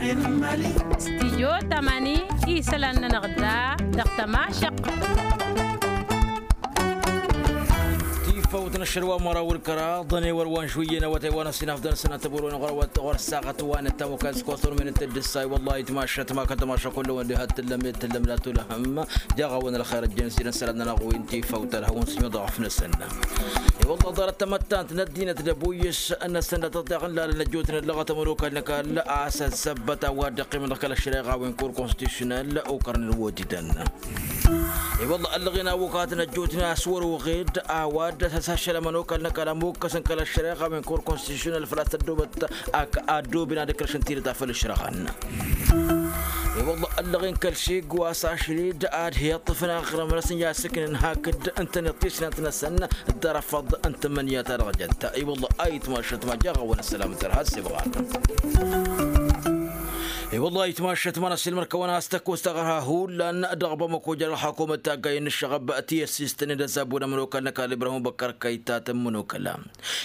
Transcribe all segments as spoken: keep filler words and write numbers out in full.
Stijyo tamani isălan-nănăɣ da dăɣ-tămašăq. Tifawt n-ašăl wa măraw ǝlkăraḍ ănewăr wa n-žwǝyyăn awătay wa n-ăsinafdăn sănăt ăbwăr-wen ɣur-awăt ɣur-ăssaɣăt wa n-ăttam okaz s-kostor min n-tăddǝssay wăllah itmašăt ma kăl-tămašăk kullăwăn diha t-tǝllăm t-tǝllăm la tulăhăm. Jaɣ-awăn ălxer ăjjăn s-idăn sălan-nănăɣ wi n-tifawt ălhăwăn s-imyăḍ ɣăf-năsăn. I-wălla ḍarăt tamăttant n-ăddinăt d-ăbuyǝs n-ăssăndăt ăḍḍeɣ n-lalăn ăjjootnen dăɣ-tămănokal n-ăkall a-s ăzzăbbăt a-wa dd-iqqimăn dăɣ-kăl-ăššăreɣa wi n-kur konstitusyonal okărnen wotidăn. I-wălla ăllăɣen awăkatăn ăjjootnen a-s wăr-oɣed a-wa dd-ăsăššălăm ănokal n-ăkall ămokkăsăn kăl-ăššăreɣa wi n-kur konstitusyonal făl-a-s tăddobăt ak-addobin ad-ǝkrăšăn tidǝt a făl ǝšrăɣăn. I-wălla ăllăɣen kăl-siggu a-s ašli-dd ad-hi-iṭṭǝfăn aɣrǝm-năsăn i-ad-sǝknen hakd ǝntăneḍ tisnant-năsăn d-arăfăḍ n-tǝmmǝnǝya-ta-dăɣ jăt. I-wălla a itmašăt ma jaɣ-awăn ăssălam d-ărha s-ibɣan. I-wălla a itmašăt ma n-ăssiilmăr-kăwăn a-s tăkkost taɣărha hullan dăɣ-bamăko jer-ălxakumăt taggay n-ǝššăɣăb ti ăssistănen d-ăzzabun ămănokal n-ăkall ibrahim băkkăr kăyta tămmănokăla.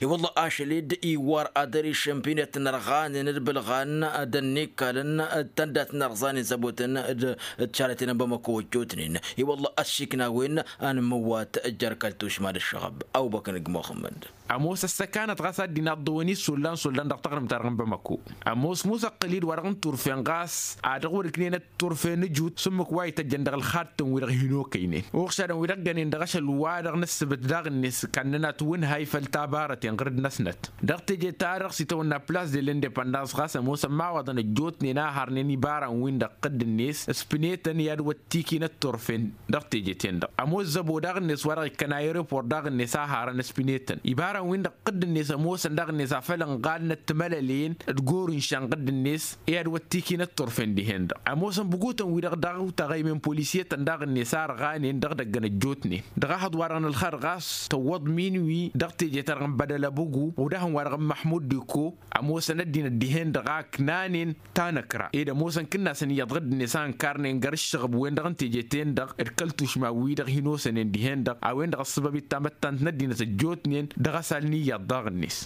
I-wălla ašăl-dd iwar ad-ărišăm pinet n-ărɣanen d-bǝlɣan d-ănnikkalăn d-tăndat n-ărẓanen zăbotăn d-tišaretăn n-bamăko ăjjootnen. I-wălla ăssiikna a-wen ănmǝwwat jer-kăl-tušma d-ǝššăɣăb. Awbăkăn g-muxămmăd. Ămoos ăssăkanăt ɣas ad-dd-inaḍḍăwăn issollan sollan dăɣ-taɣrǝmt-ta-dăɣ n-bamăko. Ămoos musăqqǝl-dd wa-dăɣ n-turfen ɣas a dăɣ-wăr-ǝknen ătturfen ǝjut s-ǝmmǝk wa ităjjăn dăɣ-ălxattăn-wi-dăɣ hin-okăynen uɣšadăn-wi-dăɣ ǝggănen dăɣ-ašăl wa-dăɣ n-ǝssǝbǝt daɣ-net. Kannăn-at wǝnhay făll-tabarăten ɣǝrǝd-năsnăt dăɣ-teje-ta-dăɣ s-itawănna plas de l-indepăndans ɣas ămoosăn imawaḍăn ăjjootnen a harnen ibaran-win-dăɣ ɣǝdd-net s-pǝnetăn i-ad-wăt tikinăt turfen. Dăɣ-teje-ten-dăɣ ămoos zăbo daɣ-net wa dăɣ-ikkăn aerepor daɣ-net a harăn s-pinetăn ibaran-win-dăɣ ɣǝdd-net ămoosăn daɣ-net afăl ǝnɣalnăt timălălen d-goru n-išanɣǝd-net i-ad-wăt tikinăt turfen dihen-dăɣ. Ămoosăn bǝgutăn-wi-dăɣ daɣ tăɣăymen polisyetăn daɣ-net a ărɣanen dăɣ-idăggăn ăjjootnen dăɣ-ehăḍ-wa-dăɣ n-ălxer ɣas tăwwăḍ minwi dăɣ-teje-ta-dăɣ n-bădăl ăbǝgu odăhăn-wa-dăɣ n-măḥmud diko. Ămoosăn ăddinăt dihen-dăɣ a ǝknanen tanăkra ed ămoosăn kǝnnasăn iyyăḍ ɣǝdd-net a ǝnkarnen găr ǝššăɣǝb-wen-dăɣ n-teje-ten-dăɣ d-kăl-tušma-wi-dăɣ hin-osănen dihen-dăɣ a-wen-dăɣ ăssăbăb-i d-tamăttant n-ăddinăt ăjjootnen dăɣ-asal n-iyyăḍ daɣ-net.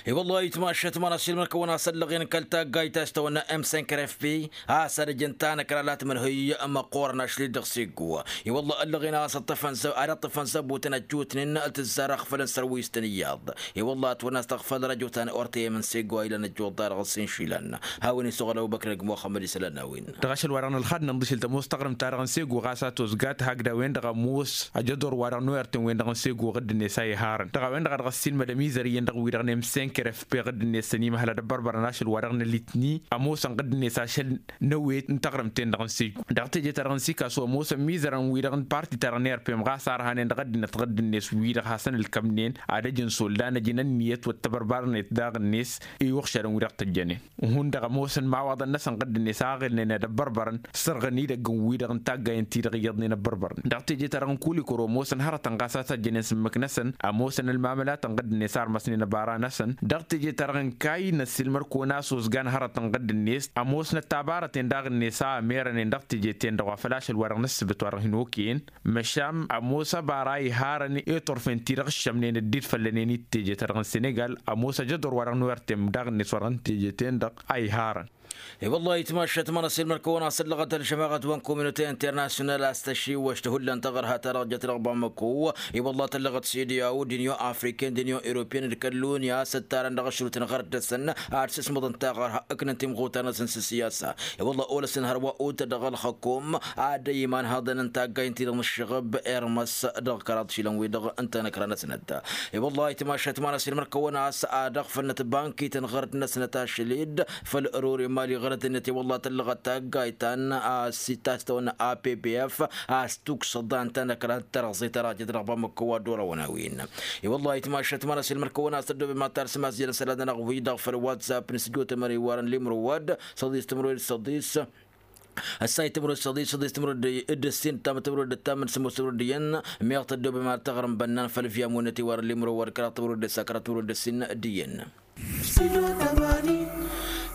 I-wăllah itmašăt ma n-asilmăr-kăwăn-as ăllăɣen kăl-taggayt ta s-tawănna m cinq r f p a-s ad-ăjăn tanăkra la tǝmǝnhǝy măqqoorăn ašli-dd dăɣ-siggu. I-wăllah ăllăɣen a-s ăṭṭăfăn zăbutăn ăjjootnen tǝzzar ăɣfălăn sărwis-tăn iyyăḍ. I-wăllah ătwănna a-s tăɣfăl răjo ta n-ortăyăm n-seggo a ilăn ăjjuḍ-ta-dăɣ s-inšilăn. Hawăn-isuɣǝl ăbubăkr dăgg-muxămmăd isălan n-a-wen. Dăɣ-ašăl-wa-dăɣ n-ălxad nǝnḍǝšǝl tămoos taɣrǝmt-ta-dăɣ n-seggo ɣas a tozgat hakd a-wen-dăɣ ămoos ajăḍor-wa-dăɣ n-oyărten-wen-dăɣ n-seggo ɣǝdd-net a iharăn dăɣ-a-wen-dăɣ a dăɣ-ăssiilmădăm izăr iyyăn dăɣ-wi-dăɣ n-emsenker f p ɣǝdd-net săn imăhăl ad-ăbbărbărăn ašăl-wa-dăɣ n-ălitni. Ămoosăn ɣǝdd-net ašăl n-ăwet n-taɣrǝmt-ten-dăɣ n-seggo dăɣ-teje-ta-dăɣ n-sikasu ămoosăn mizărăn-wi-dăɣ n-parti-ta-dăɣ n-erpem ɣas a ărhanen dăɣ-ăddinăt ɣǝdd-net wi-dăɣ hasăn-ǝlkămnen ad-ăj n-soldan ăj n-ǝnniyăt wăr t-ăbărbărnet daɣ-net i-uɣšadăn wi dăɣ-tăjjănen. Hundăɣ ămoosăn imawaḍăn-năsăn ɣǝdd-net a ɣilnen ad-ăbbărbărăn sărɣăn idăgg n-wi-dăɣ n-taggayen-ti-dăɣ iyyăḍnen ăbbărbărăn dăɣ-teje-ta-dăɣ n-kulikoro ămoosăn hărătăn ɣas a tăjjănen s-ǝmmǝk-năsăn. Ămoosăn ălmamălatăn ɣǝdd-net a ărmăsnen ăbara-năsăn dăɣ-teje-ta-dăɣ n-kayy n-ăssiilmăr-kăwăn a-s ozgan hărătăn ɣǝdd-net ămoosnăt tabarăten daɣ-net a ămerănen dăɣ-teje-ten-dăɣ wa făl ašăl-wa-dăɣ n-ǝssǝbǝt wa dăɣ-hin-okăyăn. Măšan ămoos ăbara iharăn i-turfen-ti-dăɣ ǝššămnen dd-dd-făllănen i-teje-ta-dăɣ n-senegal ămoos ajăḍor wa dăɣ-nuwărtem daɣ-net wa dăɣ-teje-ten-dăɣ a iharăn. I-wăllah itmašăt ma n-asilmăr-kăwăn a-s ăllăɣăt ălžămaɣăt wa n-kominote internasyonal a-s tăšiwăš tihullan taɣărha ta dăɣ-jăt dăɣ-bamăko. I-wăllah tăllăɣăt s-idǝyaw d-inyon afriken d-inyon europyen d-kăl-lunya a-s ǝttarăn dăɣ-ašrut n-ɣărăt-năsăn ad-sǝsmăḍăn taɣărha ǝknăn timɣutar-năsăn s-siyasa. I-wăllah olăsăn hărwa otăt dăɣ-ălxăkom ad-ăyman haḍăn n-taggayen-ti-dăɣ n-ǝššăɣǝb irmăs dăɣ-kăraḍ išilan-wi-dăɣ n-tanăkra-năsnăt. I-wăllah itmašăt ma n-asilmăr-kăwăn a-s ad-ăɣfălnăt bankităn ɣărăt-năsnăt ašăl-dd făll-ărori n-imali ɣărăt-net i-wăllah tăllăɣăt taggayt ta n-a-s ittas tăwănna a p p f a-s tuksăḍan tanăkra n-tărăẓe ta dăɣ-jăt dăɣ-bamăkko wa dd-orăwăn a-wen. I-wăllah itmašăt ma n-asilmăr-kăwăn a-s tăddobem ad-tarsǝm a-s jăr n-isălan-nănăɣ wi-dăɣ făll-whatsapp n-sǝjotămări warăn limrowad săḍis tǝmrod săḍis ăssay tǝmrod săḍis săḍis tǝmrod d-ǝssin ǝttam tǝmrod d-ǝttam n-sǝmmos tǝmrod d-iyyăn. Meɣ tăddobem ad-taɣrǝm bănnan făll-viyam wănnăt iwarăn limrowad kăraḍ tǝmrod d-ǝssa kăraḍ tǝmrod d-ǝssin d-iyyăn.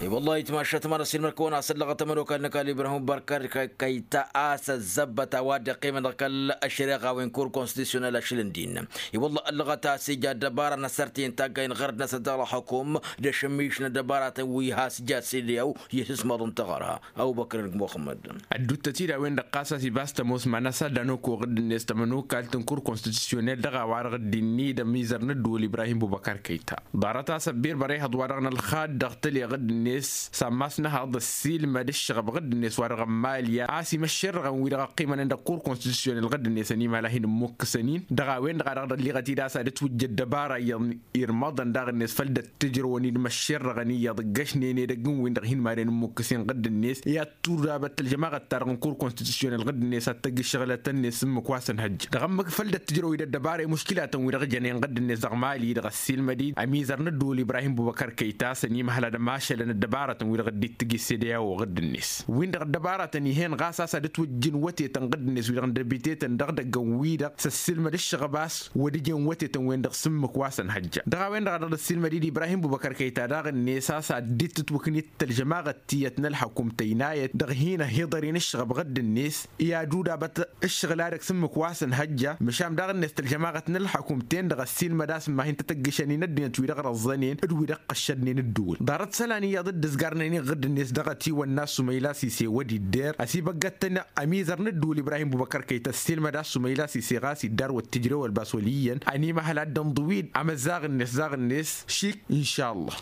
I-wăllah itmašat mara s-ilmăr kăwăn-asăllăɣăt ămănokal n-ăkall ibrahim barkar kăyta a-s ăzzăbbăt a-wa dd-iqqimăn dăɣ-kăl-ăššăreɣa-wen kur konstitusyonal ašăl n-din. I-wăllah ăllăɣăt a-s ija ăddăbara n-asărtăyăn taggayn ɣărăt-năsăn dăɣ-ălxukum d-ašămmiš n-ăddăbaratăn wi has-ija s-ilyaw i-sǝsmaḍ n-taɣăra. Ăbubăkr n-muxămmăd. Ădduuttăt-dd a-wen-dăɣ ɣas a-s ibas tămoos ma n-asaddan okko ɣǝdd-net tămănokalt n-kur konstitusyonel dăɣ-a-wa-dăɣ dd-innă idăm izăr n-ădduul ibrahim bubăkar kăyta. Ḍarăt-as ăbbirbăr ihăḍ-wa-dăɣ n-ălxad dăɣ-tăleɣ ɣǝdd-net s-ammas n-ehăḍ ăssiilmăd ǝššăɣăb ɣǝdd-net wa-dăɣ n-malya a-s imăššerrăɣăn wi-dăɣ ăqqimănen dăɣ-kur konstitusyonel ɣǝdd-net ănimăhăl a hin-ǝmmukk s-ănin dăɣ-a-wen-dăɣ a dăɣ-dd-ălliɣăt-dd a-s ad-ǝtwǝjja ăddăbara iyyăḍ irmăḍăn daɣ-net făll-dd-ăttǝjrăwăn-dd măššerrăɣăn iyyăḍ ǝggăšnen edăgg n-win-dăɣ hin-madăn ǝmmukk s-in ɣǝdd-net i-ad-tudabăt tălžămaɣăt-ta-dăɣ n-kur konstitusyonel ɣǝdd-net ad-tăgg ǝššăɣlătăn-net s-ǝmmǝk wa s-ănhăjja dăɣ-ǝmmǝk făll-dd-ăttǝjrăw-dd ăddăbara i-muškilatăn wi-dăɣ jănen ɣǝdd-net dăɣ-mali-dăɣ ăssiilmăd-dd ămizăr n-ădduul ibrahim bubăkăr kăyta s-ănimăhăl ad-ămašălăn ăddăbaratăn wi-dăɣ dd-ittǝj s-edăyaw ɣǝdd-net win-dăɣ ăddăbaratăn ih'-en ɣas a-s ad-ǝtwǝjjǝn wătetăn ɣǝdd-net wi-dăɣ n-dăbitetăn dăɣ-idăggăn-wi-dăɣ s-ăssiilmăd ǝššăɣăb a-s wăr dd-ijăn wătetăn-wen-dăɣ s-ǝmmǝk wa s-ănhăjja dăɣ-a-wen-dăɣ a dăɣ-dd-ăssiilmăd-dd ibrahim bubăkăr kăyta daɣ-net a-s ad-dd-tǝtwǝknit tălžămaɣăt tiyyăt n-ălxăkum tăynayăt dăɣ-hin-ăhiḍăren ǝššăɣăb ɣǝdd-net i-ad-udabăt ǝššăɣǝl-a-dăɣ s-ǝmmǝk wa s-ănhăjja măšan daɣ-net tălžămaɣăt n-ălxăkum-ten-dăɣ ăssiilmăd a-s ǝmma hin-tăt-ăggǝšăn-in ăddinăt wi-dăɣ răẓẓănen d-wi-dăɣ qăššădnen ǝddǝwǝl ḍarăt isălan iyyăḍ dd-ǝzgarnen iɣǝdd-net dăɣ-ătiwănna s-umăyla s-ise wăr dd-idder ăsibăggăt-tăn ămizăr n-ǝddǝwǝl ibrahim bubăkăr kăyt ăssiilmăd a-s umăyla s-ise ɣas iddar wăr t-ǝjrew ălbas wăl' iyyăn ănimăhăl ad-dd-ănḍǝw-dd amăzzaɣ-net zaɣ-net šik. Inšalla.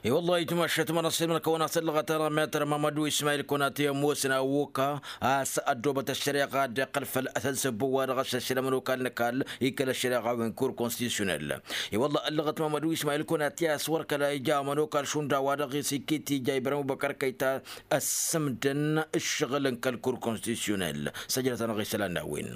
I-wăllah itmašat mănăssin mănkăwăn-asăn lăɣăt-anăɣ metăr mamădu ismayil kăwăn-atăy ămoosăn a woka a-s ăddoobăt ăššăreɣa ad-dd-iqqăl făll-asăn s-ăbbu wa dăɣ-s ăššăl ămănokal n-ăkall ikăl ăššăreɣa-wen kur konstitusyonel. I-wălla ăllăɣăt mamădu ismayil kăwăn-atăy a-s wăr kăla ija ămănokal šund a-wa-dăɣ s-iket ija ibrahim bubăkăr kăyta ăssǝmdăn ǝššăɣǝl n-kăl-kur konstitusyonel. Săjdăt-anăɣ isălan n-a-wen.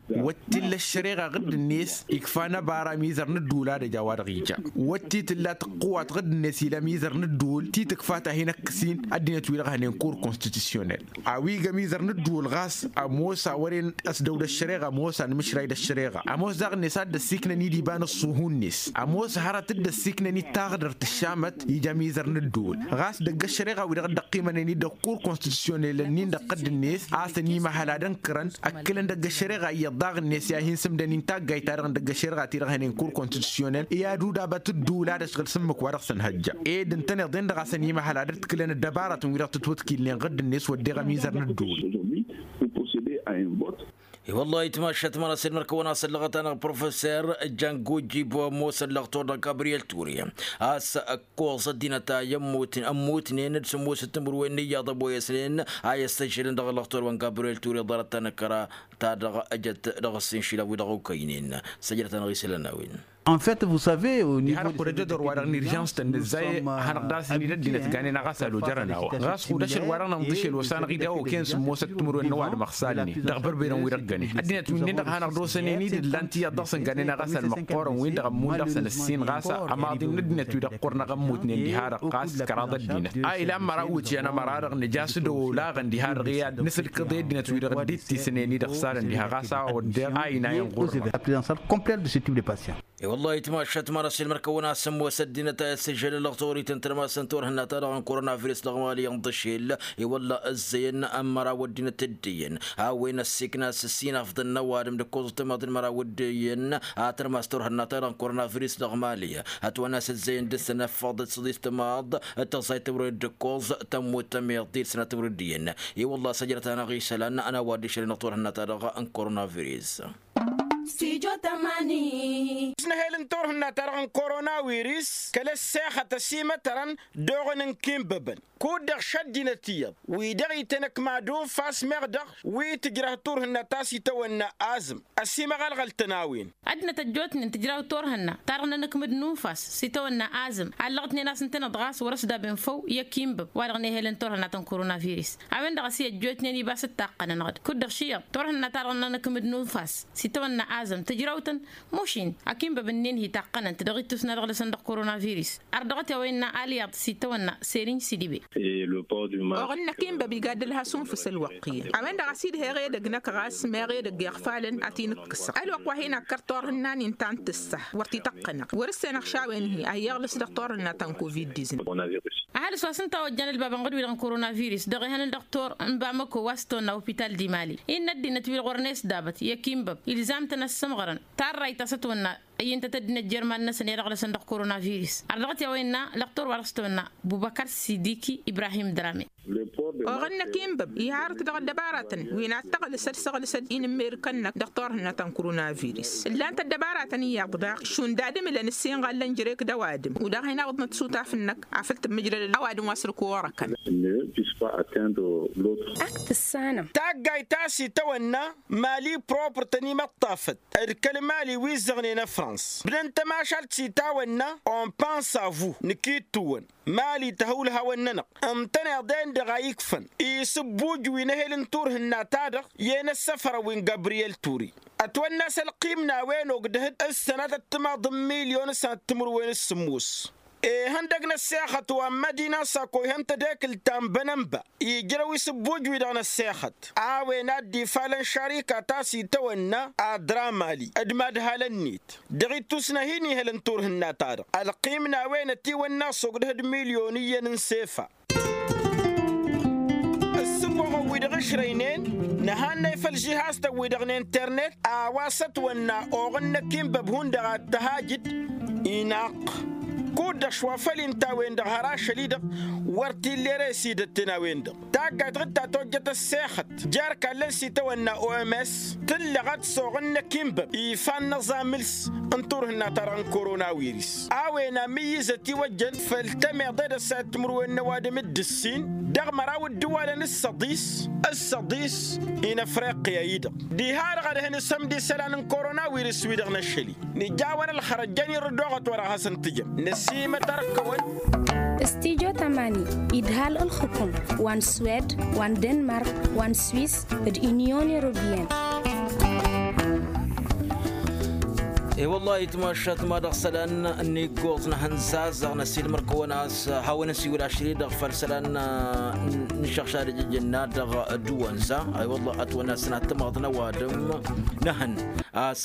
Wăt t-illa ăššăreɣa ɣǝdd-net ikfa n-ăbara amizăr n-ǝddǝwǝl ad-ăj a-wa-dăɣ ija. Wăt t-tǝlla tăqqǝwat ɣǝdd-net ila amizăr n-ǝddǝwǝl ti tǝkfa ta hin-ăkkǝsin ăddinăt wi-dăɣ hănen kur konstitusyonel. A-wi iga amizăr n-ǝddǝwǝl ɣas ămoos a wăren ăsdăw d-ăššăreɣa ămoos anmǝšray d-ăššăreɣa ămoos daɣ-net a dd-ăssiknăn-dd iba n-ăṣṣuhu-net ămoos hărăt dd-ăssiknăn-dd taɣdărt ǝššamăt ija amizăr n-ǝddǝwǝl. Ɣas dăgg-ăššăreɣa wi-dăɣ dd-ăqqimănen-dd dăɣ-kur konstitusyonel-nin dăɣ-tădd-net a-s ănimăhăl ad-ănkărăn ăkkǝlăn dăgg-ăššăreɣa iyyăḍ daɣ-net i-ad-hin-sǝmdăn-in taggayt-ta-dăɣ n-dăgg-ăššăreɣa-ti-dăɣ hănen kur konstitusyonel i-ad-udabăt ǝddǝwǝl ad-ăšɣǝl s-ǝmmǝk wa dăɣ-săn hăjja. Ed ǝntăneḍ-en-dăɣ a-s ănimăhăl ad-ătkǝlăn ăddăbarătăn wi-dăɣ tǝtwǝtkilnen ɣǝdd-net wădden ămizăr n-ǝddǝwǝl. I-wăllah itmašat mănăssin mărkăwăn-asăn lăɣăt-anăɣ professer jango jibo ămoosăn lăɣtor dăɣ-gabriyel ture a-s ăkkoẓ ăddinăt a i-ămmutnen d-sǝmmosăt timǝrwen n-iyyăḍ ăboyăsnen a i-ăssăžžălăn dăɣ-lăɣtor wa n-gabriyel ture ḍarăt-ta n-ăkkăra ta dăɣ-ejăt dăɣ-ăssinšilăɣ wi-dăɣ okăynen. Săjdăt-anăɣ isălan n-a-wen. En fait, vous savez, au niveau de harăt kud-ăjădor-wa-dăɣ n-irjans-tăn nǝzzay hanăɣ-das-in-dd ăddinăt ganen-aɣ a-s ălojărăn a-wa ɣas kud-ašăl-wa-dăɣ n-inḍǝšel osănăɣ-dd a okăyăn sǝmmosăt timǝrwen n-ăwadǝm ăɣsalnen dăɣ-bărbedăn wi-dăɣ gănen ăddinăt wi-nin-dăɣ a hanăɣ-dd-osănen-dd ǝllan-t iyyăḍ dăɣ-săn ganen-aɣ a-s ălmăqqoorăn-win-dăɣ ămmun dăɣ-săn ǝssin ɣas ămaḍin n-ăddinăt wi-dăɣ ɣur-năɣ ămmutnen diha-dăɣ ɣas kăraḍ ăddinăt a ilan măraw iwǝtyan ămăra-dăɣ nǝja a-s dd-olaɣăn diha-dăɣ i-ad-nǝsǝlkǝḍ i-ăddinăt wi-dăɣ dd-ittisnen-i-dăɣ-salăn diha ɣas a-wa wădden a inayăn ɣur-dăɣ. I-wălla-hi tmašat măra s-ilmăr-kăwăn-asǝmmos ăddinăt a i-ăssijălăn lăɣtorităn tărmasăn turhǝnna-ta-dăɣ n-korona virus dăɣ-mali ănḍăšel. I-wălla ǝzzăyăn n-măraw ăddinăt dd-iyyăn a-wen ăssiikna s-ǝssin afḍăn n-ăwadǝm d-ǝkkoẓăt timaḍ n-măraw dd-iyyăn a tărmas turhǝnna-ta-dăɣ n-korona virus dăɣ-mali. Ătwănna s-ǝzzăyăn dăɣ-săn ăffăḍăt s-ăḍis timaḍ d-tăẓẓayt timǝrwen d-ǝkkoẓ tămmut tămiḍt d-sănat timǝrwen d-iyyăn. I-wălla săjdăt-anăɣ isălan n-a-wa dd-išălăn ăṭṭurhǝnna-ta-dăɣ n-korona virus. Studio tămani. Ăsnăhel n-turhǝnna-ta-dăɣ n-korona virus kăl-ăssexăt ăsimătărăn d-oɣăn n-ikinbăbăn kud-dăɣ šăddinăt iyyăḍ wi-dăɣ itănăkma d-unfas meɣ dăɣ-wi tǝjrăh turhǝnna ta s-itawănna azǝm. Ăsimăɣălɣăl-tăn a-wen. Ăddinăt ăjjootnen tǝjraw turhǝnna ta-dăɣ n-anǝkmǝd n-unfas s-itawănna azǝm allăɣ-tnen a-s ǝntăneḍ ɣas wăr-ăsdaben făw i-ăkinbăb wa-dăɣ n-ehălăn turhǝnna ta n-korona virus. A-wen-dăɣ a-s i-ăjjootnen ibas d-taqqănăn-dăɣ-dd kud-dăɣ šiyyăḍ turhǝnna ta-dăɣ n-anǝkmǝd n-unfas s-itawănna azǝm tǝjraw-tăn mušin ăkinbăb-ǝnnin hi-taqqănăn-t dăɣ-ittus n-ad-ăɣlăsăn dăɣ-korona virus. Ărdăɣăt i-a-wa innă alyaḍ s-itawănna seriñ sidibe. Oɣǝnnăk inbăb iga dd-ălhăs unfǝs ălwăqq iyyăn a-wen-dăɣ a-s idheɣ edăgg-năk ɣas meɣ edăgg iɣfalăn ad-t-in-ǝkkǝsăɣ ălwăqq wa hin-ăkkăr turhǝnna-nin ta n-tǝssa wăr t-ităqqănăɣ wăr-ǝssenăɣ šawen-hi a iyyăɣlǝs dăɣ-turhǝnna ta n-covid-diznăf. Ăhalǝs wa s-ǝnta a ojjan ălbabăn ɣǝd-wi-dăɣ n-korona virus dăɣ-ehăn n-dăɣ-tur n-bamăko wa s-tonna opital dimali innă ăddinăt wi-dăɣ wărăn esdabăt i-ăkinbăb ilzam-tăn ad-sǝmɣărăn tarrayt ta s-ătwănna ăyyǝntăt ăddinăt jer-iman-năsăn i-ad-ăɣlăsăn dăɣ-korona virus ărdăɣăt i-a-wa innă lăqtor wa dăɣ-s tăwănna bubăkăr sidiki ibrahim drame. Oɣǝnnăk inbăb iharăt dăɣ-ăddăbaratăn wi n-ad-tăɣlǝs ad-săɣlǝsăd inǝmmerǝkăn-năk dăɣ-turhǝnna ta n-korona virus ǝllan-t ăddăbaratăn iyyăḍ daɣ šund ad-ǝmǝlăn ǝssin ɣallăn jrek d-ăwadǝm u-daɣ hin-awǝḍnăt isutaf-năk afăl tǝmmǝjrăd ăwadǝm wa s-ǝlkăwăɣ ăkall. Ak tǝssanăm. Taggayt ta s-itawănna mali propr tăn-imăṭṭafăt d-kăl-mali wi ǝzzăɣnen ăfrans bdăn tămašalt s-itawănna on pense a vous nǝkittuwăn mali tăhăwǝlhawăn-nănăɣ ǝntăneḍ-en-dăɣ a ikfăn isǝbbuj wi n-ehel n-turhǝnna-ta-dăɣ i-en ăssăfărăn wi n-gabriyel turi ătwănna a-s ălqim n-a-wen ogdăh-dd ǝssănat ăttămaḍ n-milyon s-ad-timǝrwen s-sǝmmos. Ihăndăg n-ăssexăt wa n-mădina sako ihăn tadekǝlt ta n-bănănba ijrăw isǝbbuj-wi-dăɣ n-ăssexăt a-wen a dd-ifalăn šarika ta s-itawănna adra mali d-madhalăn-net dăɣ-ittus n-ahin ihălăn turhǝnna-ta-dăɣ ălqim n-a-wen ătiwănna a-s ogdăh d-milyon iyyăn n-sefa. Ǝssǝboɣăn-wi-dăɣ ǝšrăynen nǝhannăy făll-žihastăn-wi-dăɣ n-internet a-wa s-ătwănna oɣǝnnăk inbăb hundăɣ ad-tăhajǝd. Inaqq kud-dăɣ šwa făll-inta a-wen-dăɣ har ašăl-i-dăɣ wăr t-illa ere s-idătten a-wen-dăɣ taggayt ɣǝd ta tojjăt ăssexăt jer-kallăn s-itawănna oms tǝllăɣăt s-oɣǝnnăk inbăb ifan n-aẓamǝls n-turhǝnna-ta-dăɣ n-korona wiris a-wen amǝyyǝz ătiwăjjăn făll-tămeḍe d-ăssayăt timǝrwen n-ăwadǝm d-ǝssin dăɣ-măraw ǝddǝwalăn s-săḍis s-săḍis. Inăfriqya-i-dăɣ diha-dăɣ ad-hăn isămd isălan n-korona wiris-wi-dăɣ n-ašăl-i nǝjawăn ălxărăt jăn irǝdoɣăt wa dăɣ-hasăn-tǝjăm năsimăt ark-kăwăn. Stijo tamani idhal ǝlxǝkum wa n-swed wa n-denmark wa n-swis d-inyon europiyăn. E-wăllah itmašat ma dăɣ-isălan n-iggoẓ n-ehăn zazăɣ năsilmăr-kăwăn a-s hawăn-ăsiwǝl ašri-dăɣ făll-isălan n-išăɣšad ijǝjǝnna dăɣ-dăwănza. Ay-wăllah ătwănna s-nat tămaḍ n-ăwadǝm n-ehăn a-s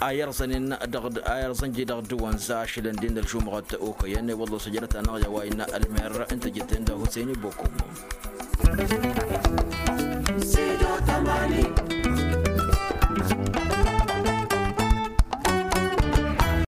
a irẓănen dăɣ-a irẓăn ji dăɣ-dăwănza ašălăn din d-ălžumɣăt okăyăn i-wăllah s-ăjrăt-anăɣ i-a-wa innă ălmer n-tejǝtten d-husăyni bokom.